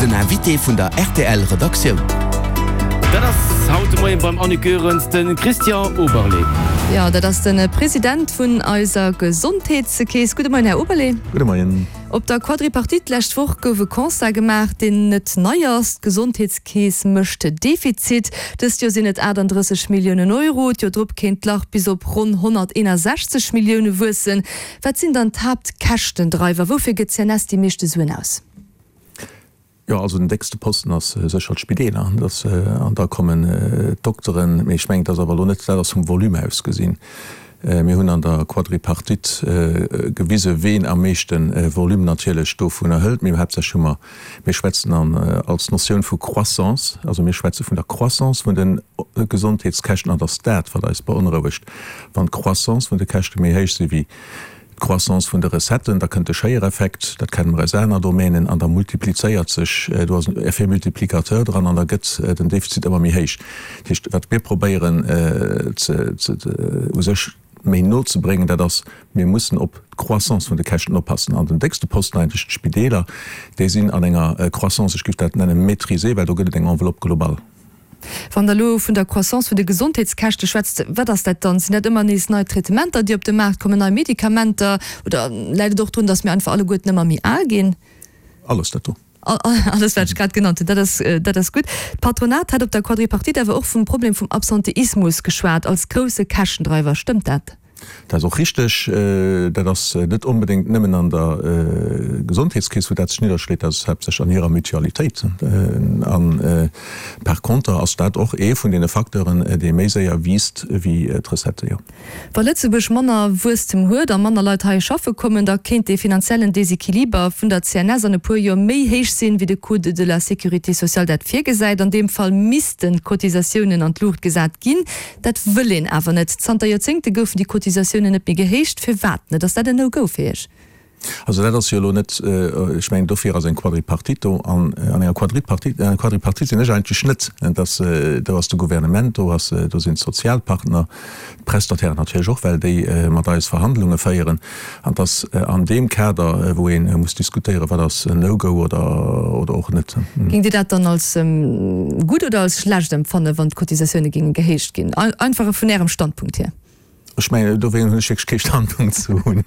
Den Invité vun der rtl Redaktioun. Dat ass haut de Moien beim Annick Goerens de Christian Oberlé. Jo, dat ass de President vun eiser Gesondheetskeess. Gudde Moien, Här Oberlé. Gudde Moien. Op der Quadripartite d'lescht Woch gouf e Constat gemaach, deen net nei ass, D'Gesondheetskeess mécht Defizit. Dëst Joer sinn et 38 Milliounen Euro, d'Joer drop kéint d'Lach bis op ronn 161 Millioune wuessen. Wat sinn dann d'Haaptkäschtendreiwer? Woufir gëtt d'CNS déi meeschte Suen aus? Jo, also den déckste Posten ass sécher d'Spideeler, dass, an da kommen d'Dokteren. Mee ech mengen, et ass awer elo net, dat ass vum Volume aus gesinn. Mir hunn an der Quadripartite gewise ween am meeschte Volume natierlech dovunner hëlt. Mee haaptsächlech hu mer, mir schwätzen an als Notioun vu Croissance, also mir schwätze vun der Croissance vun de Gesondheetskäschten, an et ass dat, wat eis beonrouegt, wann d'Croissance vun de Käschte méi héich si wéi D'Croissance vun de Recetten, da kënnt de Schéiereffekt, dat kenne mer aus aner Domänen, an da multiplizéiert sech, do ass en Effet multiplicateur dran an da gëtt den Defizit ëmmer méi héich. Dat heescht, wat mir probéieren ze, u sech méi no ze bréngen, dat ass, mir mussen op d'Croissance vun de Käschten oppassen. An den déckste Posten eigentlech d'Spideeler, déi sinn an enger Croissance, ech géif dat nennen maîtrisée, well do gëtt et eng Enveloppe globale. Wann Der elo vun der Croissance vun de Gesondheetskäschte schwätzt, wat ass dat dann? Sinn dat ëmmer nees nei Traitementer, déi op de Maart kommen, nei Medikamenter? Oder läit et och drun, datt mir einfach alleguerten ëmmer méi al ginn? Alles dat do. Alles, wat ech grad genannt hunn, dat ass, dat ass gutt. D'Patronat hat op der Quadripartite awer och vum Problem vum Absenteismus geschwat als grousse Käschtendreiwer. Stëmmt dat? Dat ass och richteg. Dat ass net onbedéngt nëmmen an der Gesondheetskeess, wou dat sech nidderschléit, dat ass haaptsächlech an hirer Mutualitéit. A par conter ass dat och ee vun deene Facteuren, dee méi séier wiisst wéi d'Recettë, jo. Wa Lëtzebuerg manner Wuesstem huet a manner Leit hei schaffe kommen, da kéint dee finanziellen Desequiliber vun der CNS an e puer Joer méi héich sinn, wéi de Code de la sécurité sociale dat virgesäit. An deem Fall missten d'Cotisatiounen an d'Luucht gesat ginn. Dat wëll een awer net. Zanter Joerzéngte goufen déi Cotisatiounen net méi gehéicht. Firwat net? Ass dat en No-Go fir Iech? Also dat ass jo elo net, ech mengen dofir ass eng Quadripartite do. An an enger Quadripartite, an enger Quadripartite sinn ech eigentlech net. Dat ass, do ass de Gouvernement, do ass, do sinn d'Sozialpartner, d'Prestatairen natierlech och, well déi mat eis Verhandlunge féieren. An et ass an deem Kader, wou ee muss diskutéieren, wat ass en No-Go oder, oder och net. Géingt Dir dat dann als gutt oder als schlecht empfannen, wann d'Cotisatioune géinge gehéicht ginn? Einfach vun Ärem Standpunkt hier. Ech mengen, dowéinst hunn ech wierklech kee Standpunkt ze hunn.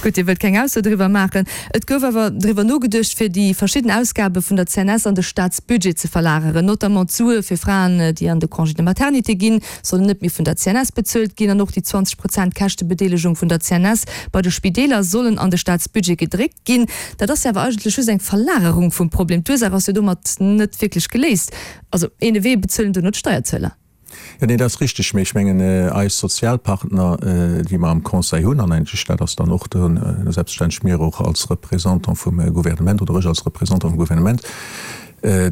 Gutt, Dir wëllt keng Ausso driwwer maachen. Et gouf awer driwwer nogeduecht, fir déi verschidden Ausgabe vun der CNS an de Staatsbudget ze verlageren. Notamment d'Sue fir Fraen, déi an de Congé de maternité ginn, sollen net méi vun der CNS bezuelt ginn an och déi 20 Prozent Käschtebedeelegung vun der CNS bei de Spideeler sollen an de Staatsbudget gedréckt ginn. Dat ass jo awer eigentlech just eng Verlagerung vum Problem. D'Ursaach ass jo domat net wierklech geléist. Also een ewee bezuelen duerno d'Steierzueler. Jo, nee, dat ass richteg. Mee ech mengen, eis Sozialpartner, déi mer am Conseil hunn, an eigentlech dat ass dann och de, selbstverständlech mir och als Représentant vum Gouvernement oder ech als Représentant vum Gouvernement,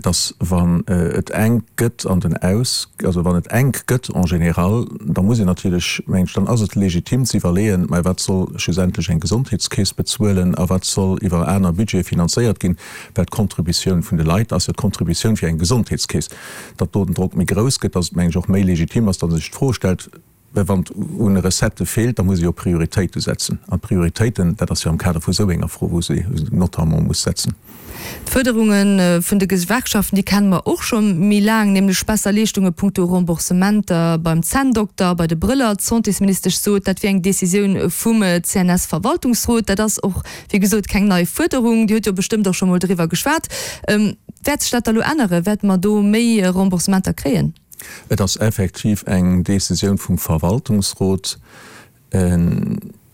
dass wann et enk gëtt an den Aus, also wann et enk gëtt en général, da muss een natierlech, mengen ech, dann ass et legitim ze iwwerleeën, mä wat soll schlussendlech eng Gesondheetskeess bezuelen a wat soll iwwer aner Budgete finanzéiert ginn, well d'Contributioun vun de Leit ass jo d'Contributioun fir eng Gesondheetskeess. Datt do den Drock méi grouss gëtt, datt et, mengen ech, och méi legitim ass, datt ee sech d'Fro stellt, well wann et un Recettë feelt, da muss ee jo Prioritéite setzen. An d'Prioritéiten, dat ass jo am Kader vu sou enger Fro, wou se notamment muss setzen. D'Fuerderunge vun de Gewerkschaften, déi kenne mer och scho méi laang, nämlech besser Leeschtunge punkto Remboursementer beim Zänndokter, bei de Brëller. D'Santésministesch sot, dat wier eng Decisioun vum CNS-Verwaltungsrot. Dat ass och, wéi gesot, keng nei Fuerderung. Dir hutt jo bestëmmt och scho mol driwwer geschwat. Wäert sech dat da lo änneren? Wäerte mer do méi Remboursementer kréien? Et ass effektiv eng Décisioun vum Verwaltungsrot,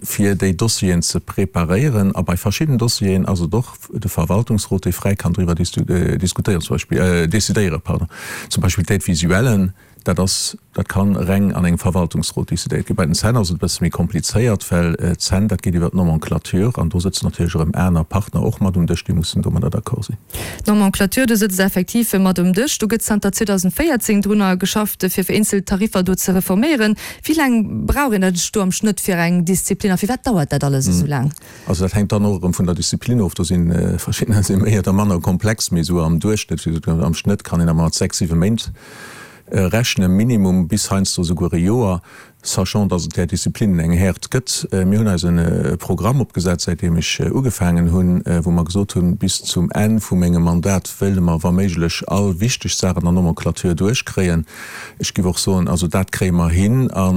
fir déi Dossieren ze preparéieren. A bei verschidden Dossieren ass et och de Verwaltungsrot, dee fräi kann driwwer diskutéieren, zum Beispill, décidéieren, pardon, zum Beispill d'Aide visuelle. Dat ass, dat ka reng an engem Verwaltungsrot décidéiert ginn. Bei den Zänn ass et e bësse méi komplizéiert, well d'Zänn, dat geet iwwer d'Nomenclature an do sëtzen natierlech erëm aner Partner och mat um Dësch, déi mussen domadder d'accord sinn. D'Nomenclature, do sëtzt effektiv mat um Dësch. Do gëtt zanter 2014 drunner geschafft, fir vereenzelt Tariffer do ze reforméieren. Wéi laang brauch een eigentlech do am Schnëtt fir eng Disziplin a firwat dauert dat alles esou laang? Also dat hänkt dann och erëm vun der Disziplin of. Do si verschiddener si méi oder manner komplex, mee esou am Duerchschnëtt, wéi gesot, am Schnëtt kann een awer mat 6, 7 Méint. Rechne minimum bis heiansdo souguer e Joer, sachant dass et där Disziplinnen eng Häert gëtt. Mir hunn eis e Programm opgesat, säitdeem ech ugefaangen hunn, wou mer gesot hunn, bis zum Enn vu mengem Mandat wéile mer wa méiglech all wichteg Saach an der Nomenclature duerchkréien. Ech géif och soen, also dat kréie mer hin a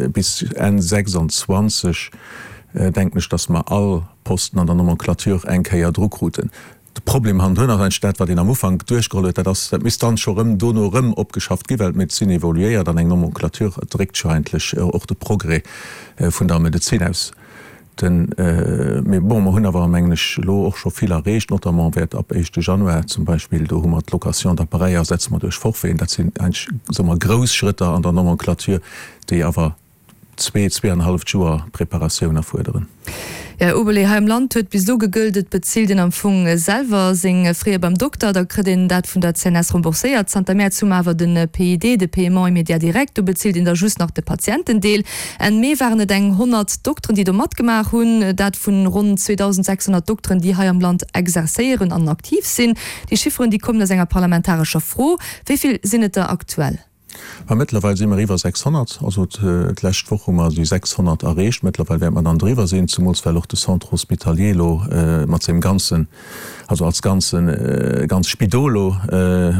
bis Enn 26 denken ech, dass mer all Posten an der Nomenclature eng Kéier dru kruten. De Problem hannendrun ass eigentlech dat, wat een am Ufank duerchgeholl huet, dat ass, dat misst dann scho rëm dono rëm opgeschafft ginn, well d'Medezin evoluéiert an eng Nomenclature dréckt jo eigentlech och de Progrès vun der Medezin aus. Den, mee bon, mer hunn awer, mengen ech, elo och scho vill erreecht, notamment wäert ab éischte Januar zum Beispill, do hu mer d'Location d'appareils ersetze mer duerch Forfaiten. Dat sinn eigentlech, soe mer, grouss Schrëtter an der Nomenclature, déi awer zwee, zweeanenhalleft Joer Preparatioun erfuerderen. Här Oberlé, hei am Land huet bis elo gegëllt, et bezilt een am Fong selwer seng Frais beim Dokter, da kritt een dat vun der CNS rembourséiert. Zanter Mäerz hu mer awer de PID, de Paiement immédiat direct, do bezilt een da just nach de Patientendeel. Enn Mee waren et eng 100 Dokteren, déi do matgemaach hunn, dat vun ronn 2.600 Dokteren, déi hei am Land exerzéieren an aktiv sinn. Déi Chifferen, déi kommen aus enger parlamentarescher Fro. Wéi vill sinn et der aktuell? Mä mëttlerweil si mer iwwer 600. Also d'lescht Woch hu mer déi 600 erreecht. Mëttlerweil wäerte mer dann driwwer sinn, zemools well och de Centre hospitalier elo mat sengem ganzen, also als ganzen, ganz Spidol elo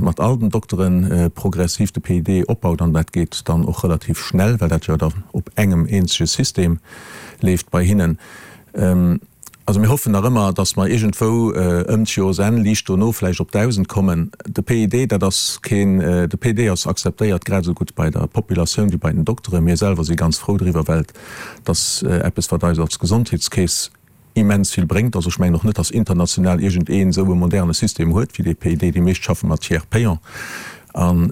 mat all den Dokteren progressiv de PID opbaut. An dat geet dann och relativ schnell, well dat jo dann op engem eenzege System leeft bei hinnen. Also mir hoffen nach ëmmer, datt mer iergendwou ëm d'Joersenn, liicht dono vläicht op 1.000 kommen. De PID, dat ass keen, de PID ass akzeptéiert grad esou gutt bei der Populatioun wéi bei den Dokteren. Mir selwer si ganz frou driwwer, well et ass eppes, wat eis als Gesondheetskeess immens vill bréngt. Also ech mengen och net, datt international iergendeen esou e moderne System huet wéi dee PID. Déi meescht schaffe mat Tiers payant an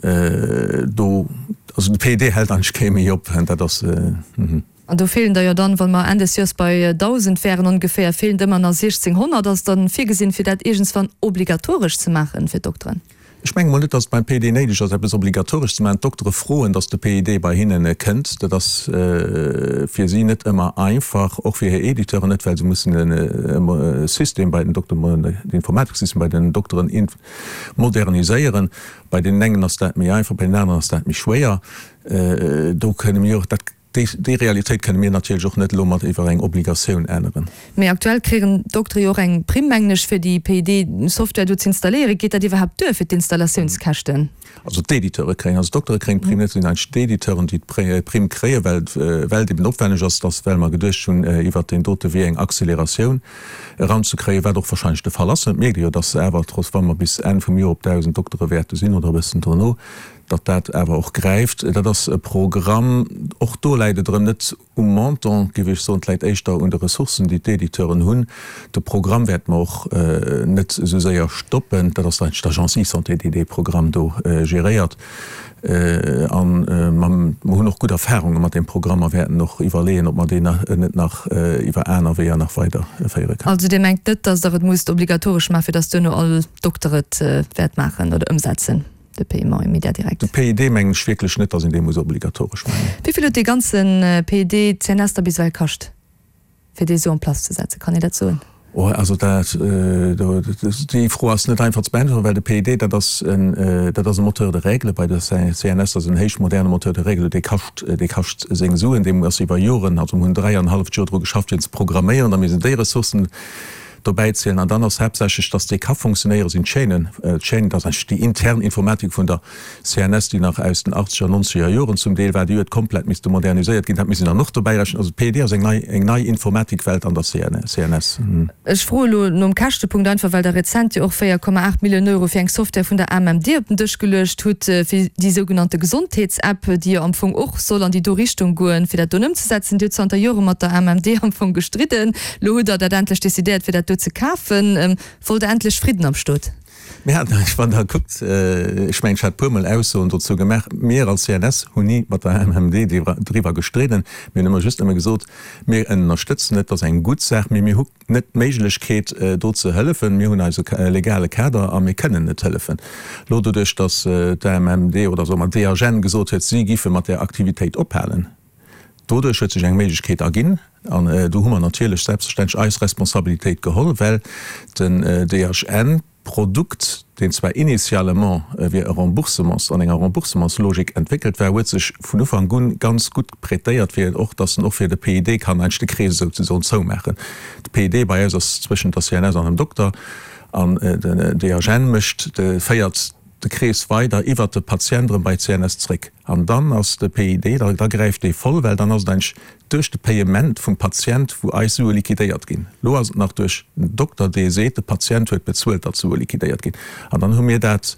do, also de PID hält eigentlech kee méi op. Dat ass. An do feelen der jo dann, wa mer Enn des Joers bei 1.000 wären ongeféier, feelen der ëmmer nach 1.600. Ass dann virgesinn, fir dat iergendswann obligatoresch ze maachen fir d'Dokteren? Ech menge mol net, datt et beim PID néideg ass, eppes obligatoresch ze maachen. D'Doktere froen, datt de PID bei hinne kënnt. Dat ass fir si net ëmmer einfach, och fir hir Editeuren net, well se mussen de System bei den Dokteren, den Informatiksystem bei den Dokteren moderniséieren. Bei deenen engen ass dat méi einfach, bei deenen aneren ass dat méi schwéier. Do kënne mir och dat. Déi Realitéit kënne mir natierlech och net elo mat iwwer eng Obligatioun änneren. Mee aktuell kréien d'Doktere jo och eng Primm, mengen ech, fir déi PID-Software do ze installéieren. Geet dat iwwerhaapt duer fir d'Installatiounskäschten? Also d'Editeure kréien, also d'Doktere kréien d'Primm net, et sinn eigentlech d'Editeuren, déi d'Primm kréien, well well et eben opwenneg ass, dass, well mer geduecht hunn, iwwert deen dote Wee eng Acceleratioun eranzekréien, wat och wahrscheinlech de Fall ass. Et mierkt ee jo, dass awer trotz, wa mer bis Enn vum Joer op 1.000 Doktere wäerte sinn oder e bëssen dono, datt dat awer och gräift. Dat ass e Programm, och do läit et erëm net um Montant, géif ech soen, et läit éischter un de Ressourcen, déi d'Editeuren hunn. De Programm wäerte mer och net esou séier stoppen. Dat ass eigentlech d'Agence eSanté, déi dee Programm do geréiert. A mer hunn och gutt Erfarunge mat deem Programm a wäerten och iwwerleeën, ob mer deen net nach iwwer aner Weeër nach weiderféiere kënnen. Also Dir mengt net, datt Der et musst obligatoresch maachen, fir datt duerno all Dokter et wäert maachen oder ëmsetzen? De Paiement immédiat direct. De PID mengen ech wierklech net, dass een dee muss obligatoresch maachen. Wéi vill huet dee ganze PID d'CNS da bis ewell kascht, fir dee sou en place ze setzen? Kann een dat soen? Oh, also dat, déi Fro ass net einfach ze beäntweren, well de PID, dat ass en, dat ass e Moteur de règle bei der CNS, dat ass en héich moderne Moteur de règle, dee kascht, dee kascht seng Suen, dee ass iwwer Joren, also mir hunn dräianenhalleft Joer dru geschafft, fir en ze programméieren, da misst een déi Ressourcen dobäi zielen. An dann ass haaptsächlech, dass déi ka funktionéieren, sinn d'Chaînen. D'Chaînen, dat ass eigentlech déi intern Informatik vun der CNS, déi nach aus den achtzeger, nonzeger Joren zum Deel war. Déi huet komplett misste moderniséiert ginn. Dat misst een dann och dobäi rechnen. Also d'PED ass eng nei, eng nei Informatikwelt an der CNS. Ech froe elo nom Käschtepunkt einfach, well Der rezent jo och 4,8 Milliounen Euro fir eng Software vun der AMMD op den Dësch geluecht hutt, fir déi sougenannte Gesondheetsapp, déi jo am Fong och soll an déi do Richtung goen, fir dat do ëmzesetzen. Dir hutt zanter Jore mat der AMMD am Fong gestridden. Lo hutt Der dat endlech decidéiert, fir dat do ze kafen. Wollt Der endlech Fridden am Stot? Mir haten eigentlech, wann Der kuckt, ech mengen, ech hat e puermol Aussoen dozou gemaach, mir als CNS hunn ni mat der AMMD driwwer gestridden. Mir hunn ëmmer just nëmme gesot, mir ënnerstëtzen et, dat ass eng gutt Saach, mee mir hu net d'Méiglechkeet, do ze hëllefen. Mir hunn eise legale Kader a mir kënnen net hëllefen. Lo doduerch, datt d'AMMD oder soe mer d'DHN gesot huet, si giffe mat där Aktivitéit ophalen, Doduerch huet sech eng Méiglechkeet erginn, an do hu mer natierlech selbstverständlech eis Responsabilitéit geholl, well den DHN. Produkt, deen zwar initialement wier e Remboursements, an enger Remboursementslogik entwéckelt war, huet sech vun Ufank un ganz gutt prêtéiert fir och, dass en och fir de PID kann eigentlech de Krees esouzesoen zoumaachen. De PID bei eis ass zwëschent der CNS an dem Dokter an den DHN mécht, féiert de Krees weider iwwert de Patient erëm bei d'CNS zréck. An dann ass de PID, da gräift dee voll, well dann ass et eigentlech duerch de Payement vum Patient, wou eis Sue liquidéiert ginn. Elo ass et nach duerch den Dokter, dee seet, de Patient huet bezuelt, datt d'Sue liquidéiert ginn. An dann hu mir dat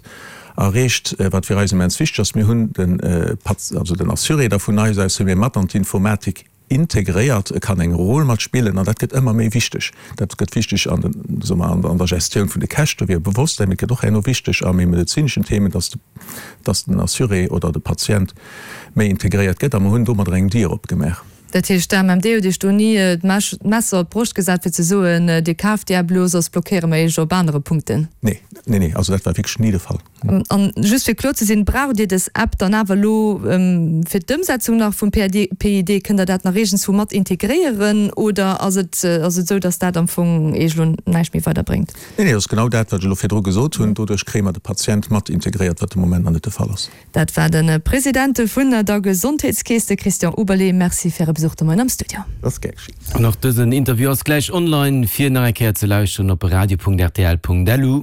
erreecht, wat fir eis immens wichteg ass, Mir hunn den also den Assuré da vun eis aus hu mir mat an d'Informatik integréiert. E kann eng Rôle mat spillen an dat gëtt ëmmer méi wichteg. Dat gëtt wichteg an den, soe mer, an der Gestioun vun de Käschte wier Bewosstsäin, mee et gëtt och herno wichteg a méi medezineschen Themen, datt datt den Assuré oder de Patient méi integréiert gëtt a mer hunn domadder eng Dier opgemaach. Dat heescht, d'AMMD huet Iech do ni d'Messer op d'Broscht gesat, fir ze soen, Dir kaaft déi App elo, soss blockéiere mer Iech op anere Punkten? Nee, nee, nee, also dat war wierklech ni de Fall. An just fir kloer ze sinn, Braucht Dir dës App dann awer elo fir d'Ëmsetzung nach vum PID? Kënnt Der dat nach iergendswou mat integréieren oder ass et ass et esou, datt dat am Fong Iech elo näischt méi weiderbréngt? Nee, nee, dat ass genau dat, wat ech elo virdru gesot hunn. Doduerch kréie mer de Patient mat integréiert, wat de Moment nach net de Fall ass. Dat war de President vun der Gesondheetskeess, de Christian Oberlé. Merci fir Äre Besuch de Moien am Studio. Dat ass gär geschitt. An och dësen Interview ass gläich online fir nach eng Kéier ze lauschteren op radio.rtl.lu.